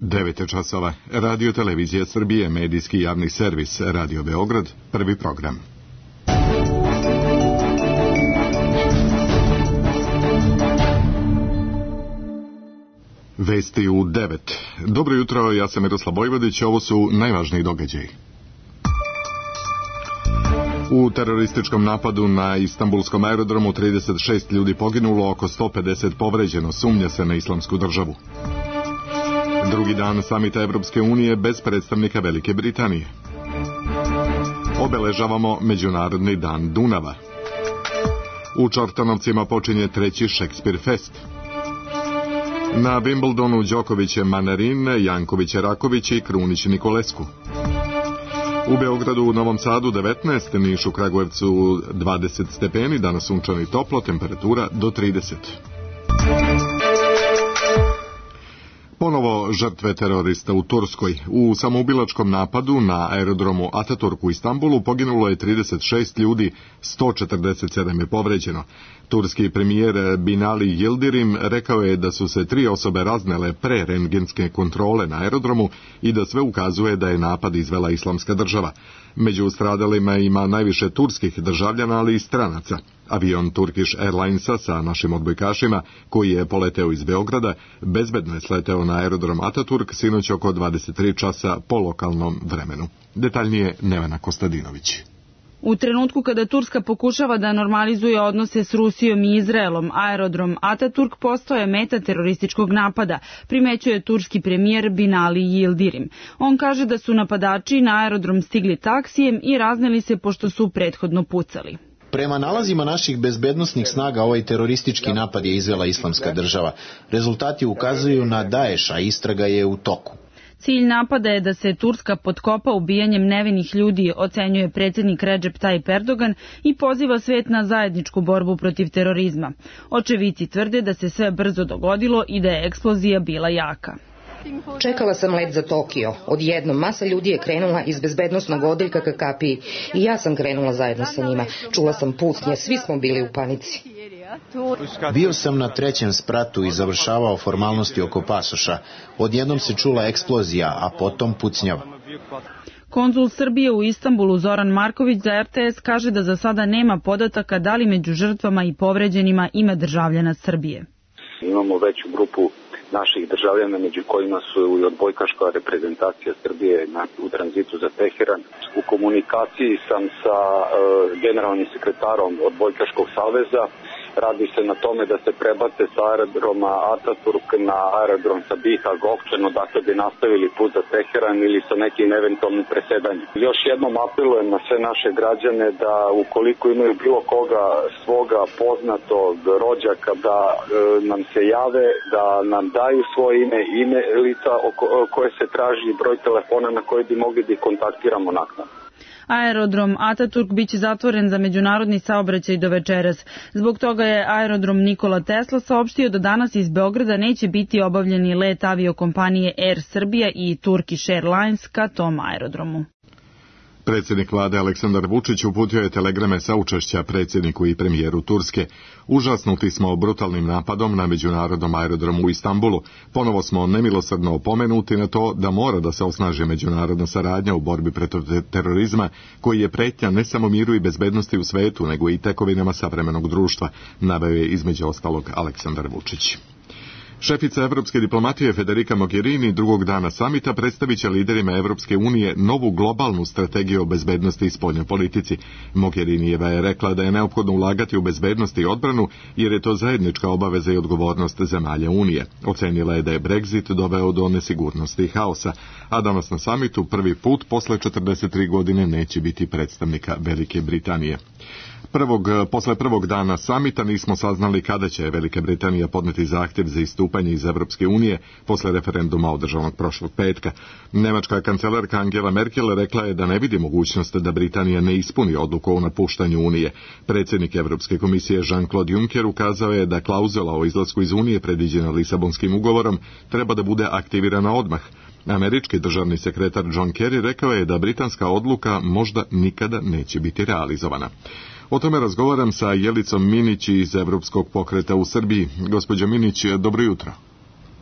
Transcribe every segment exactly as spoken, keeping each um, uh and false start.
devet je časova. Radio Televizija Srbije, medijski javni servis, Radio Beograd, prvi program. Vesti u devet. Dobro jutro, ja sam Miroslav Bojvodić, ovo su najvažniji događaji. U terorističkom napadu na Istanbulskom aerodromu trideset šest ljudi poginulo, oko sto pedeset povređeno, sumnja se na Islamsku državu. Drugi dan samita Evropske unije bez predstavnika Velike Britanije. Obeležavamo Međunarodni dan Dunava. U Čortanovcima počinje treći Šekspir fest. Na Wimbledonu Đoković je Manarin, Janković je Raković i Krunić Nikolesku. U Beogradu, u Novom Sadu devetnaest, Nišu, Kragujevcu dvadeset stepeni, danas sunčano i toplo, temperatura do trideset. Ponovo žrtve terorista u Turskoj. U samoubilačkom napadu na aerodromu Ataturk u Istanbulu poginulo je trideset šest ljudi, sto četrdeset sedam je povređeno. Turski premijer Binali Yildirim rekao je da su se tri osobe raznele pre rentgenske kontrole na aerodromu i da sve ukazuje da je napad izvela Islamska država. Među stradalima ima najviše turskih državljana, ali i stranaca. Avion Turkish Airlinesa sa našim odbojkašima, koji je poleteo iz Beograda, bezbedno je sleteo na aerodrom Ataturk sinoć oko dvadeset tri časa po lokalnom vremenu. Detaljnije Nevena Kostadinović. U trenutku kada Turska pokušava da normalizuje odnose s Rusijom i Izraelom, aerodrom Ataturk postao je meta terorističkog napada, primećuje turski premijer Binali Yildirim. On kaže da su napadači na aerodrom stigli taksijem i razneli se pošto su prethodno pucali. Prema nalazima naših bezbednosnih snaga, ovaj teroristički napad je izvela Islamska država. Rezultati ukazuju na Daesh, a istraga je u toku. Cilj napada je da se Turska potkopa ubijanjem nevinih ljudi, ocenjuje predsjednik Recep Tayyip Erdogan i poziva svet na zajedničku borbu protiv terorizma. Očevici tvrde da se sve brzo dogodilo i da je eksplozija bila jaka. Čekala sam let za Tokio. Odjednom masa ljudi je krenula iz bezbednosnog odeljka ka kapiji i ja sam krenula zajedno sa njima. Čula sam pucnje, svi smo bili u panici. Bio sam na trećem spratu i završavao formalnosti oko pasoša. Odjednom se čula eksplozija, a potom pucnjava. Konzul Srbije u Istanbulu Zoran Marković za R T S kaže da za sada nema podataka da li među žrtvama i povređenima ima državljana Srbije. Imamo veću grupu naših državljana, među kojima su i odbojkaška reprezentacija Srbije na, u tranzitu za Teheran. U komunikaciji sam sa e, generalnim sekretarom odbojkaškog saveza. Radi se na tome da se prebace sa aerodroma Ataturk na aerodrom Sabiha Gökçen, dakle bi nastavili put za Teheran ili sa nekim eventualnim presedanjem. Još jednom apelujem na sve naše građane da ukoliko imaju bilo koga svoga poznatog rođaka da e, nam se jave, da nam daju svoje ime, ime lica koje se traži, broj telefona na koji bi mogli da ih kontaktiramo naknadno. Aerodrom Ataturk biće zatvoren za međunarodni saobraćaj do večeras. Zbog toga je aerodrom Nikola Tesla saopštio da danas iz Beograda neće biti obavljeni let aviokompanije Air Srbija i Turkish Airlines ka tom aerodromu. Predsjednik vlade Aleksandar Vučić uputio je telegrame saučešća predsjedniku i premijeru Turske. Užasnuti smo brutalnim napadom na međunarodnom aerodromu u Istanbulu. Ponovo smo nemilosrdno opomenuti na to da mora da se osnaži međunarodna saradnja u borbi protiv terorizma, koji je pretnja ne samo miru i bezbednosti u svetu, nego i tekovinama savremenog društva, naveo je između ostalog Aleksandar Vučić. Šefica evropske diplomatije Federica Mogherini drugog dana samita predstavit će liderima Evropske unije novu globalnu strategiju o bezbednosti i spoljnoj politici. Mogherinijeva je rekla da je neophodno ulagati u bezbednost i odbranu, jer je to zajednička obaveza i odgovornost zemalja Unije. Ocenila je da je Brexit doveo do nesigurnosti i haosa, a danas na samitu prvi put posle četrdeset tri godine neće biti predstavnika Velike Britanije. Prvog, posle prvog dana samita nismo saznali kada će Velika Britanija podneti zahtjev za istupanje iz Evropske unije posle referenduma održanog prošlog petka. Nemačka kancelarka Angela Merkel rekla je da ne vidi mogućnost da Britanija ne ispuni odluku o napuštanju Unije. Predsjednik Evropske komisije Jean-Claude Juncker ukazao je da klauzula o izlasku iz Unije predviđena Lisabonskim ugovorom treba da bude aktivirana odmah. Američki državni sekretar John Kerry rekao je da britanska odluka možda nikada neće biti realizovana. O tome razgovaram sa Jelicom Minić iz Evropskog pokreta u Srbiji. Gospođo Minić, dobro jutro.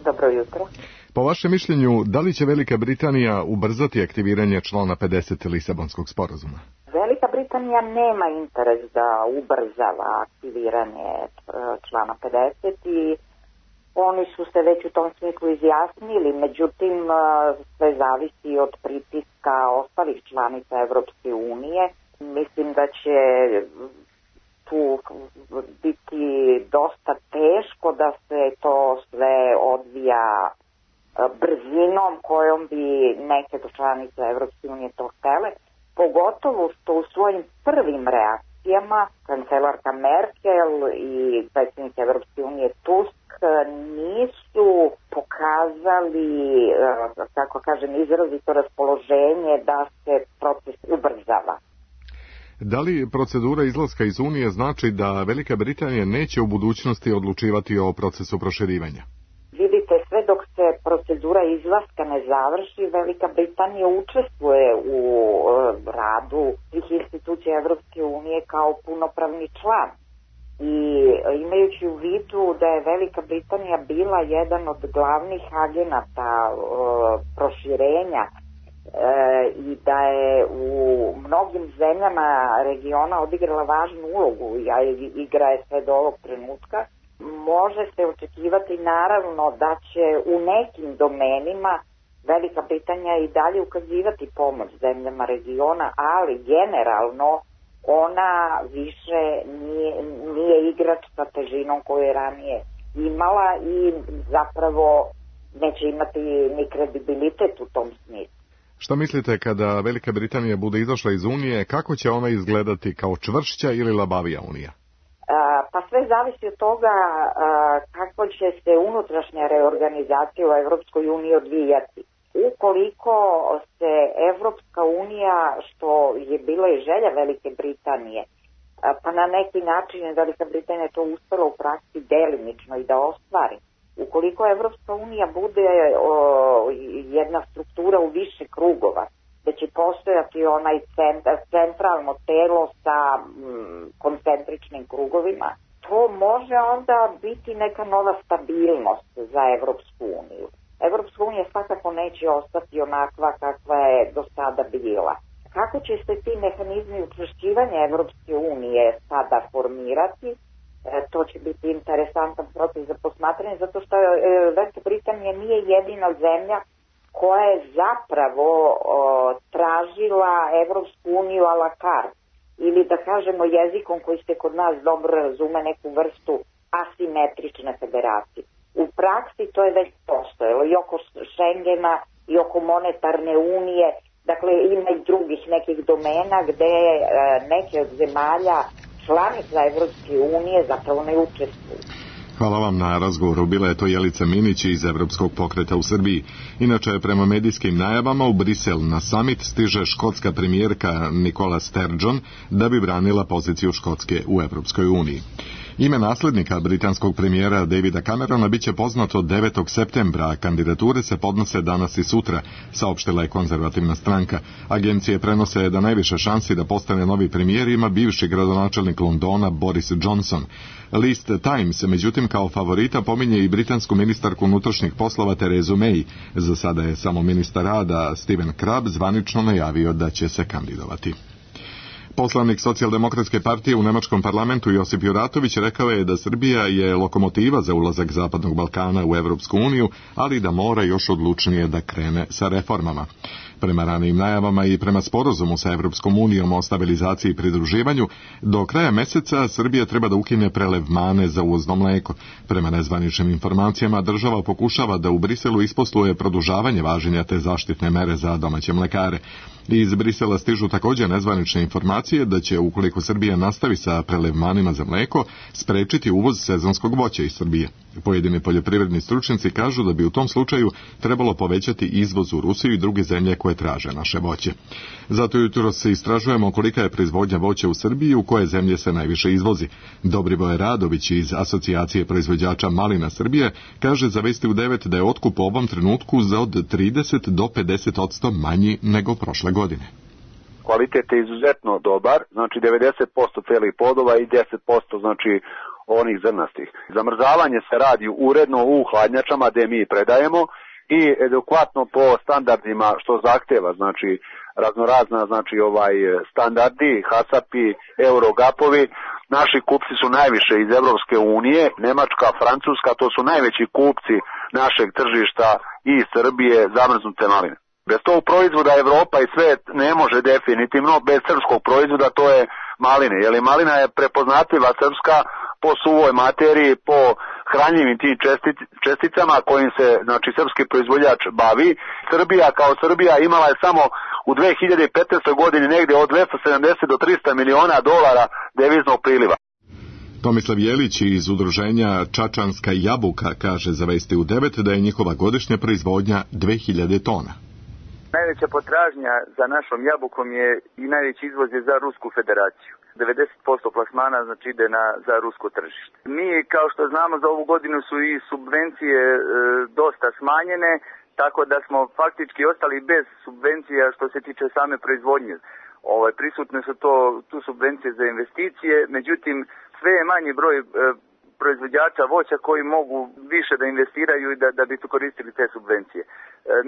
Dobro jutro. Po vašem mišljenju, da li će Velika Britanija ubrzati aktiviranje člana pedeset Lisabonskog sporazuma? Velika Britanija nema interes da ubrzava aktiviranje člana pedeset i oni su se već u tom smislu izjasnili, međutim sve zavisi od pritiska ostalih članica Evropske unije. Mislim da će tu biti dosta teško da se to sve odvija brzinom kojom bi neke članice Evropske unije to htele, pogotovo što u svojim prvim reakcijama kancelarka Merkel i predsjednik Evropske unije Tusk nisu pokazali, kako kažem, izrazito raspoloženje da se proces ubrzava. Da li procedura izlaska iz Unije znači da Velika Britanija neće u budućnosti odlučivati o procesu proširivanja? Vidite, sve dok se procedura izlaska ne završi, Velika Britanija učestvuje u radu svih institucija Evropske unije kao punopravni član. I imajući u vidu da je Velika Britanija bila jedan od glavnih agenata e, proširenja e, i da je u mnogim zemljama regiona odigrala važnu ulogu, a igra je sve do ovog trenutka, može se očekivati naravno da će u nekim domenima Velika Britanija i dalje ukazivati pomoć zemljama regiona, ali generalno ona više nije, nije igrač sa težinom koju je ranije imala i zapravo neće imati ni kredibilitet u tom smislu. Šta mislite kada Velika Britanija bude izašla iz Unije, kako će ona izgledati, kao čvršća ili labavija Unija? A, pa sve zavisi od toga a, kako će se unutrašnja reorganizacija u Evropskoj uniji odvijati. Ukoliko se Evropska unija, što je bila i želja Velike Britanije, pa na neki način Velika Britanija to uspela u praksi delimično i da ostvari. Ukoliko Evropska unija bude o, jedna struktura u više krugova, da će postojati onaj centralno telo sa mm, koncentričnim krugovima, to može onda biti neka nova stabilnost za Evropsku uniju. Evropska unija svakako neće ostati onakva kakva je do sada bila. Kako će se ti mehanizmi učvršćivanja Evropske unije sada formirati, e, to će biti interesantan proces za posmatranje, zato što e, Velika Britanija nije jedina zemlja koja je zapravo o, tražila Evropsku uniju a la carte, ili da kažemo jezikom koji se kod nas dobro razume, neku vrstu asimetrične federacije. U praksi to je već postojalo i oko Schengena i oko monetarne unije, dakle ima i drugih nekih domena gde e, neke od zemalja članica Evropske unije zapravo ne učestvuju. Hvala vam na razgovoru. Bila je to Jelica Minić iz Evropskog pokreta u Srbiji. Inače, prema medijskim najavama u Brisel na summit stiže škotska premijerka Nicola Sturgeon da bi branila poziciju Škotske u Evropskoj uniji. Ime naslednika britanskog premijera Davida Camerona biće poznato devetog septembra, a kandidature se podnose danas i sutra, saopštila je konzervativna stranka. Agencije prenose da najviše šansi da postane novi premijer ima bivši gradonačelnik Londona Boris Johnson. List Times, međutim, kao favorita pominje i britansku ministarku unutrašnjih poslova Terezu May. Za sada je samo ministar rada Stephen Crabb zvanično najavio da će se kandidovati. Poslanik Socijaldemokratske partije u Nemačkom parlamentu Josip Juratović rekao je da Srbija je lokomotiva za ulazak Zapadnog Balkana u Evropsku uniju, ali da mora još odlučnije da krene sa reformama. Prema ranijim najavama i prema sporazumu sa Evropskom unijom o stabilizaciji i pridruživanju, do kraja meseca Srbija treba da ukine prelev mane za uvozno mleko. Prema nezvaničnim informacijama, država pokušava da u Briselu isposluje produžavanje važenja te zaštitne mere za domaće mlekare. Iz Brisela stižu također nezvanične informacije da će, ukoliko Srbija nastavi sa prelevmanima za mleko, sprečiti uvoz sezonskog voća iz Srbije. Pojedini poljoprivredni stručnjaci kažu da bi u tom slučaju trebalo povećati izvoz u Rusiju i druge zemlje koje traže naše voće. Zato jutro se istražujemo kolika je proizvodnja voća u Srbiji i u koje zemlje se najviše izvozi. Dobrivoje Radović iz Asocijacije proizvođača malina Srbije kaže za Vesti u devet da je otkup u ovom trenutku za od trideset do pedeset posto manji nego prošle godine. Kvalitet je izuzetno dobar, znači devedeset posto celih plodova i deset posto znači onih zrnastih. Zamrzavanje se radi uredno u hladnjačama gde mi predajemo i adekvatno po standardima što zahteva, znači raznorazna, znači ovaj standardi, hasapi, eurogapovi. Naši kupci su najviše iz Evropske unije, Nemačka, Francuska, to su najveći kupci našeg tržišta i Srbije zamrznute maline. Bez tog proizvoda Evropa i svet ne može definitivno, bez srpskog proizvoda, to je maline, jer malina je prepoznatljiva srpska po suvoj materiji, po hranjivim tim česticama kojim se, znači, srpski proizvođač bavi. Srbija kao Srbija imala je samo u dve hiljade petnaestoj godini negde od dvesta sedamdeset do trista miliona dolara deviznog priliva. Tomislav Jelić iz udruženja Čačanska jabuka kaže za Vesti u devet da je njihova godišnja proizvodnja dve hiljade tona. Najveća potražnja za našom jabukom je i najveći izvoz je za Rusku federaciju. devedeset posto plasmana znači ide na, za rusko tržište. Mi, kao što znamo, za ovu godinu su i subvencije e, dosta smanjene, tako da smo faktički ostali bez subvencija što se tiče same proizvodnje. Ovaj, prisutne su to, tu subvencije za investicije, međutim sve je manji broj e, proizvođača voća koji mogu više da investiraju i da, da bi koristili te subvencije. E,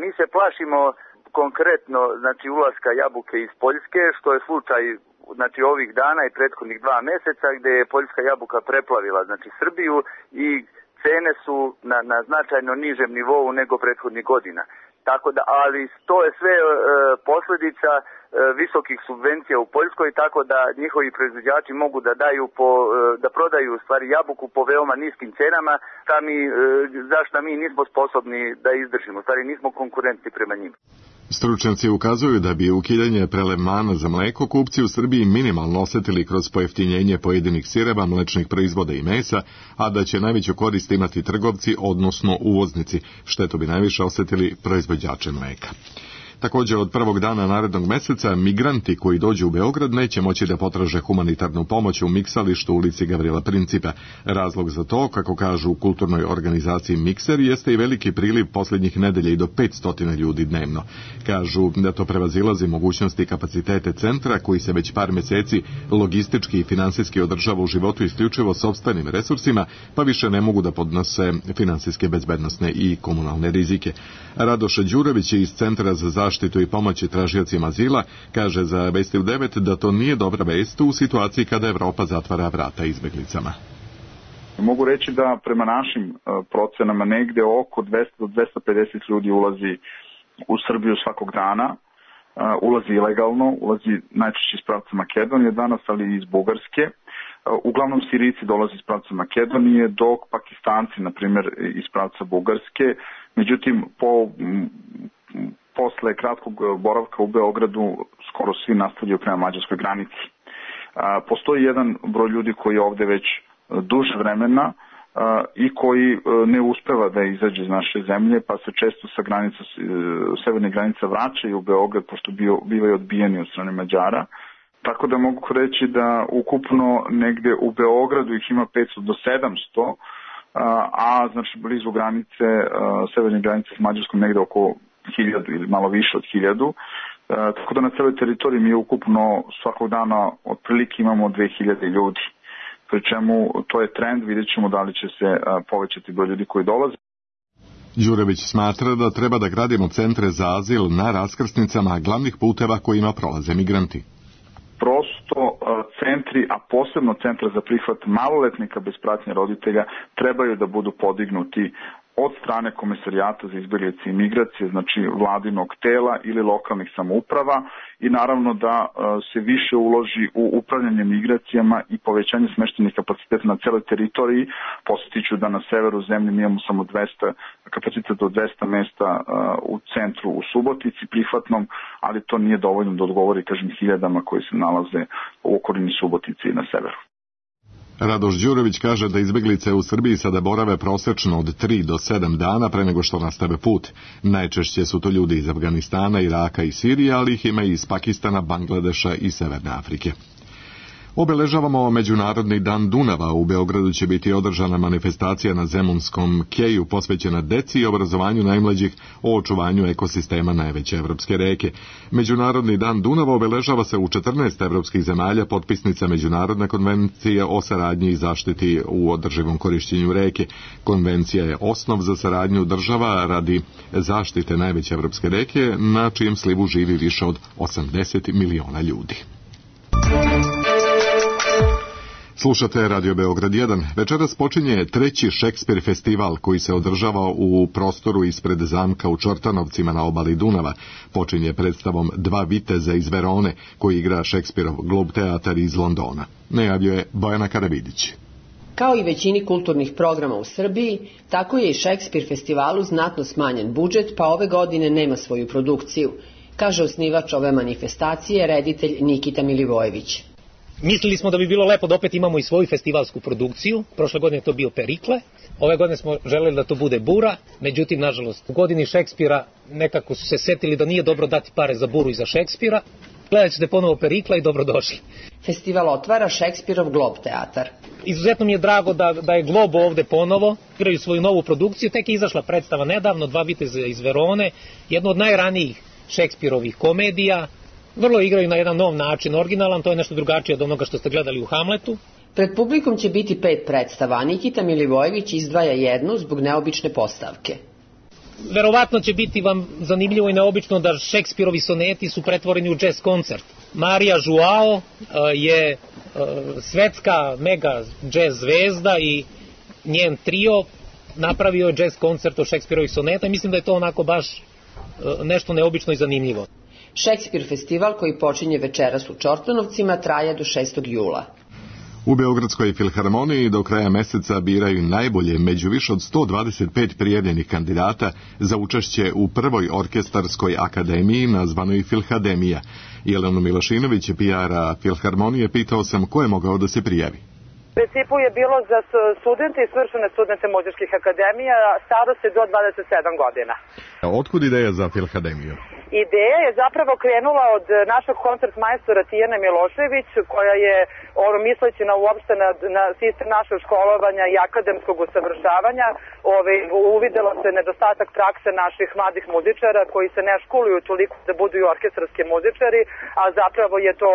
mi se plašimo konkretno, znači, ulaska jabuke iz Poljske, što je slučaj, znači, ovih dana i prethodnih dva meseca, gde je poljska jabuka preplavila, znači, Srbiju i cene su na, na značajno nižem nivou nego prethodnih godina. Tako da, ali to je sve e, posljedica e, visokih subvencija u Poljskoj, tako da njihovi proizvođači mogu da daju po, e, da prodaju u stvari jabuku po veoma niskim cenama, šta mi, e, zašto mi nismo sposobni da izdržimo, u stvari nismo konkurentni prema njima. Stručnjaci ukazuju da bi ukidanje prelevmana za mleko kupci u Srbiji minimalno osetili kroz pojeftinjenje pojedinih sireva, mlečnih proizvoda i mesa, a da će najveću korist imati trgovci, odnosno uvoznici, štetu bi najviše osetili proizvođači mleka. Također od prvog dana narednog meseca migranti koji dođu u Beograd neće moći da potraže humanitarnu pomoć u miksalištu ulici Gavrila Principa. Razlog za to, kako kažu u kulturnoj organizaciji Mikser, jeste i veliki priliv posljednjih nedelja i do petsto ljudi dnevno. Kažu da to prevazilazi mogućnosti i kapacitete centra koji se već par mjeseci logistički i finansijski održava u životu isključivo sopstvenim resursima, pa više ne mogu da podnose finansijske, bezbednosne i komunalne rizike. Radoš Đurević iz Centra za zaštitu i pomoći tražiocima azila kaže za Vesti u devet da to nije dobra vest u situaciji kada Evropa zatvara vrata izbjeglicama. Mogu reći da prema našim procenama negde oko dvesta do dvesta pedeset ljudi ulazi u Srbiju svakog dana. Ulazi ilegalno, ulazi najčešće iz pravca Makedonije danas, ali i iz Bugarske. Uglavnom Sirijci dolaze iz pravca Makedonije, dok Pakistanci, na primjer, iz pravca Bugarske. Međutim, po posle kratkog boravka u Beogradu skoro svi nastavljaju prema mađarskoj granici. Postoji jedan broj ljudi koji je ovde već duže vremena i koji ne uspeva da izađe iz naše zemlje, pa se često sa granica, severne granice vraćaju u Beograd, pošto bivaju odbijeni od strane Mađara. Tako da mogu reći da ukupno negde u Beogradu ih ima petsto do sedamsto, a znači blizu granice, severne granice s Mađarskom negde oko hiljadu ili malo više od hiljadu. E, tako da na celoj teritoriji mi ukupno svakog dana otprilike imamo dve hiljade ljudi. Pri čemu to je trend, vidjet ćemo da li će se a, povećati broj ljudi koji dolaze. Đurević smatra da treba da gradimo centre za azil na raskrsnicama glavnih puteva kojima prolaze migranti. Prosto a, centri, a posebno centra za prihvat maloletnika bez pratnje roditelja trebaju da budu podignuti od strane Komesarijata za izbjeglice i migracije, znači vladinog tela ili lokalnih samouprava, i naravno da se više uloži u upravljanje migracijama i povećanje smeštenih kapaciteta na celoj teritoriji. Posjetiću da na severu zemlje mi imamo samo dvesta, kapaciteta do dvesta mesta u centru u Subotici prihvatnom, ali to nije dovoljno da odgovori, kažem, hiljadama koji se nalaze u okolini Subotice i na severu. Radoš Đurović kaže da izbjeglice u Srbiji sada borave prosečno od tri do sedam dana pre nego što nastave put. Najčešće su to ljudi iz Afganistana, Iraka i Sirije, ali ih ima i iz Pakistana, Bangladeša i Severne Afrike. Obeležavamo Međunarodni dan Dunava. U Beogradu će biti održana manifestacija na Zemunskom keju posvećena deci i obrazovanju najmlađih o očuvanju ekosistema najveće evropske reke. Međunarodni dan Dunava obeležava se u četrnaest evropskih zemalja potpisnica Međunarodne konvencije o saradnji i zaštiti u održivom korišćenju reke. Konvencija je osnov za saradnju država radi zaštite najveće evropske reke, na čijem slivu živi više od osamdeset miliona ljudi. Slušate Radio Beograd jedan. Večeras počinje treći Šekspir festival koji se održava u prostoru ispred zamka u Čortanovcima na obali Dunava. Počinje predstavom Dva viteza iz Verone koji igra Šekspirov Globe Teatar iz Londona. Najavljuje Bojana Karavidić. Kao i većini kulturnih programa u Srbiji, tako je i Šekspir festivalu znatno smanjen budžet, pa ove godine nema svoju produkciju, kaže osnivač ove manifestacije, reditelj Nikita Milivojević. Mislili smo da bi bilo lepo da opet imamo i svoju festivalsku produkciju. Prošle godine je to bio Perikle. Ove godine smo želeli da to bude Bura. Međutim, nažalost, u godini Šekspira nekako su se setili da nije dobro dati pare za Buru i za Šekspira. Gledat ćete ponovo Perikla i dobrodošli. Festival otvara Šekspirov Globe Teatar. Izuzetno mi je drago da, da je Globo ovde ponovo. Igraju svoju novu produkciju. Tek je izašla predstava nedavno, Dva viteza iz Verone. Jedno od najranijih Šekspirovih komedija. Vrlo igraju na jedan nov način, originalan, to je nešto drugačije od onoga što ste gledali u Hamletu. Pred publikom će biti pet predstava, Nikita Milivojević izdvaja jednu zbog neobične postavke. Verovatno će biti vam zanimljivo i neobično da Šekspirovi soneti su pretvoreni u jazz koncert. Marija Joao je svetska mega jazz zvezda i njen trio napravio je jazz koncert od Šekspirovih soneta i mislim da je to onako baš nešto neobično i zanimljivo. Šekspir festival koji počinje večeras u Čortanovcima traje do šestog jula. U Beogradskoj filharmoniji do kraja meseca biraju najbolje među više od sto dvadeset pet prijavljenih kandidata za učešće u prvoj orkestarskoj akademiji nazvanoj Filhademija. Jelenu Milošinović, P R-a Filharmonije, pitao sam ko je mogao da se prijavi. U principu je bilo za studente i svršene studente muzičkih akademija, starosti do dvadeset sedam godina. Otkud ideja za Filhademiju? Ideja je zapravo krenula od našeg koncertmajstora Tijane Milošević, koja je, ono, misleći na uopšte na, na sistem našeg školovanja i akademskog usavršavanja, ove, uvidelo se nedostatak prakse naših mladih muzičara koji se ne školuju toliko da budu i orkestarski muzičari, a zapravo je to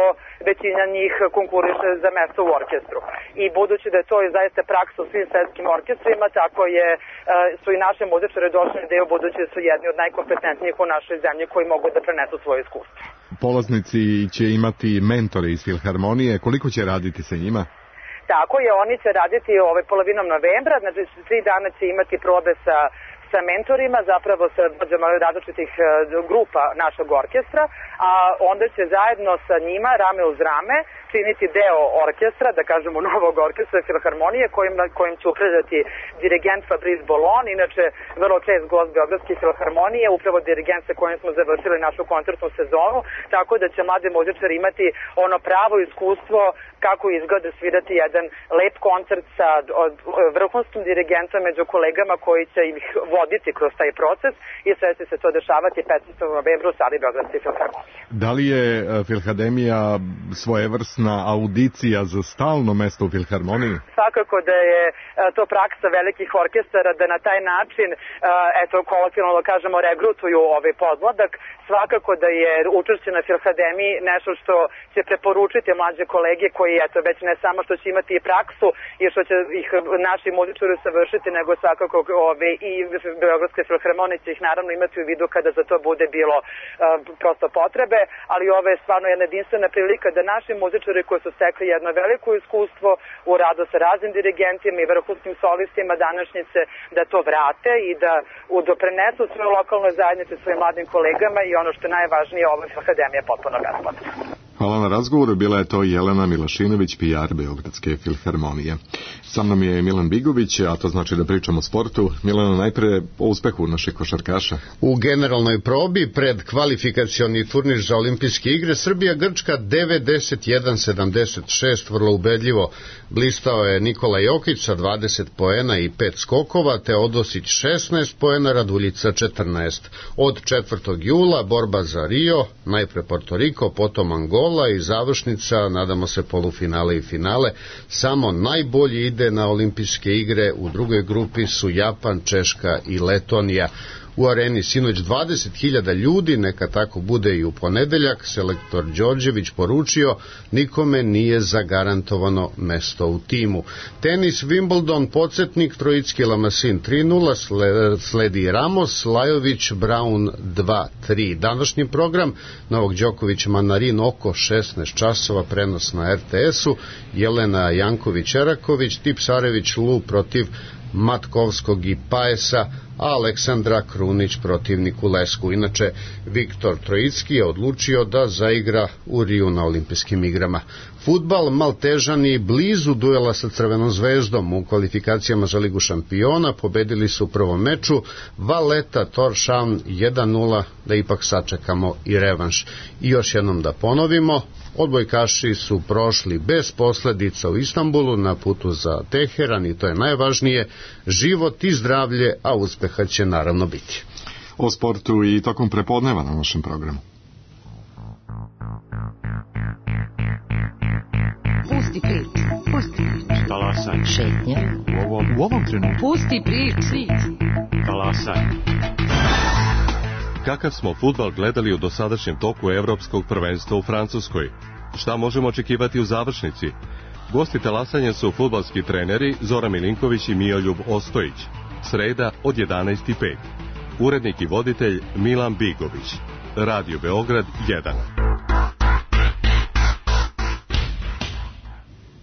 većina njih konkuriše za mesto u orkestru. I budući da je to i zaista praksa u svim svetskim orkestrima, tako je, su i naše muzičare došli na ideju, budući da su jedni od najkompetentnijih u našoj zemlji koji mogu da prenesu svoje iskustvo. Polaznici će imati mentore iz Filharmonije. Koliko će raditi sa njima? Tako je, oni će raditi ovaj polovinom novembra, znači tri dana će imati probe sa sa mentorima, zapravo sa vođama različitih grupa našeg orkestra, a onda će zajedno sa njima, rame uz rame, činiti deo orkestra, da kažemo novog orkestra Filharmonije, kojim, kojim će upravljati dirigent Fabrice Bolon, inače vrlo čest gost Beogradske Filharmonije, upravo dirigent sa kojim smo završili našu koncertnu sezonu, tako da će mladi muzičari imati ono pravo iskustvo kako izgleda svirati jedan lep koncert sa vrhunskim dirigentom među kolegama koji će ih voditi kroz taj proces i sve će se to dešavati petnaestog novembra u sali Beogradske Filharmonije. Da li je Filhademija svojevrsna audicija za stalno mesto u Filharmoniji? Svakako da je to praksa velikih orkestara da na taj način, eto, kolokvijalno da kažemo, regrutuju ovaj podmladak. Svakako da je učešće na Filhademiji nešto što će preporučiti mlađe kolege koji, eto, već ne samo što će imati i praksu i što će ih naši muzičari savršiti, nego svakako ove, i Beogradske Filharmonije će ih naravno imati u vidu kada za to bude bilo uh, prosto potrebe, ali ovo je stvarno jedna jedinstvena prilika da naši muzičari koji su stekli jedno veliko iskustvo u radu sa raznim dirigentima i vrhunskim solistima današnjice, da to vrate i da doprinesu svoje lokalnoj zajednici, svojim mladim kolegama i ono što je najvažnije, ova Filhademija je potpuno besplatna. Hvala na razgovoru, bila je to Jelena Milošinović, P R Beogradske Filharmonije. Sa mnom je Milan Bigović, a to znači da pričamo o sportu. Milano, najpre o uspehu naših košarkaša. U generalnoj probi pred kvalifikacioni turnir za olimpijske igre Srbija-Grčka devedeset jedan sedamdeset šest, vrlo ubedljivo. Blistao je Nikola Jokić sa dvadeset poena i pet skokova, Teodosić šesnaest poena, Raduljica četrnaest. Od četvrtog jula borba za Rio, najpre Porto Riko, potom Angola, kola i završnica, nadamo se polufinale i finale. Samo najbolji ide na olimpijske igre. U drugoj grupi su Japan, Češka i Letonija. U areni sinoć dvadeset hiljada ljudi, neka tako bude i u ponedeljak. Selektor Đorđević poručio, nikome nije zagarantovano mesto u timu. Tenis Wimbledon, podsjetnik, Trojicki Lamasin tri nula, sledi Ramos, Lajović, Brown dva tri. Današnji program, Novak Đoković, Manarin oko šesnaest časova, prenos na er te esu, Jelena Janković-Eraković, Tipsarević Lu protiv Matkovskog i Paesa, a Aleksandra Krunić protiv Nikulesku. Inače, Viktor Trojicki je odlučio da zaigra u Riju na olimpijskim igrama. Fudbal, Maltežani blizu duela sa Crvenom zvezdom u kvalifikacijama za Ligu šampiona, pobedili su u prvom meču Valeta Toršan jedan nula, da ipak sačekamo i revanš. I još jednom da ponovimo, odbojkaši su prošli bez posledica u Istanbulu na putu za Teheran i to je najvažnije, život i zdravlje, a uspeha će naravno biti. O sportu i tokom prepodneva na našem programu. Pusti prič, pusti prič. Talasaj. Šetnja. U ovom, u ovom trenutku. Pusti prič. Talasaj. Kakav smo fudbal gledali u dosadašnjem toku evropskog prvenstva u Francuskoj? Šta možemo očekivati u završnici? Gosti talasanja su fudbalski treneri Zoran Milinković i Mijoljub Ostojić. Sreda od jedanaest i pet. Urednik i voditelj Milan Bigović. Radio Beograd jedan.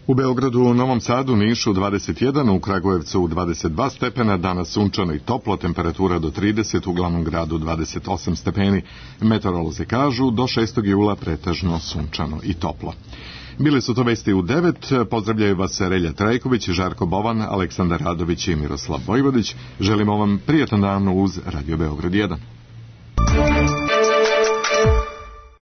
U Beogradu, u Novom Sadu, Nišu dvadeset jedan, u Kragujevcu dvadeset dva stepena, danas sunčano i toplo, temperatura do trideset, u glavnom gradu dvadeset osam stepeni. Meteorolozi kažu do šestog jula pretežno sunčano i toplo. Bili su to vesti u devet, pozdravljaju vas Relja Trajković, Žarko Bovan, Aleksandar Radović i Miroslav Vojvodić. Želimo vam prijatan dan uz Radio Beograd jedan.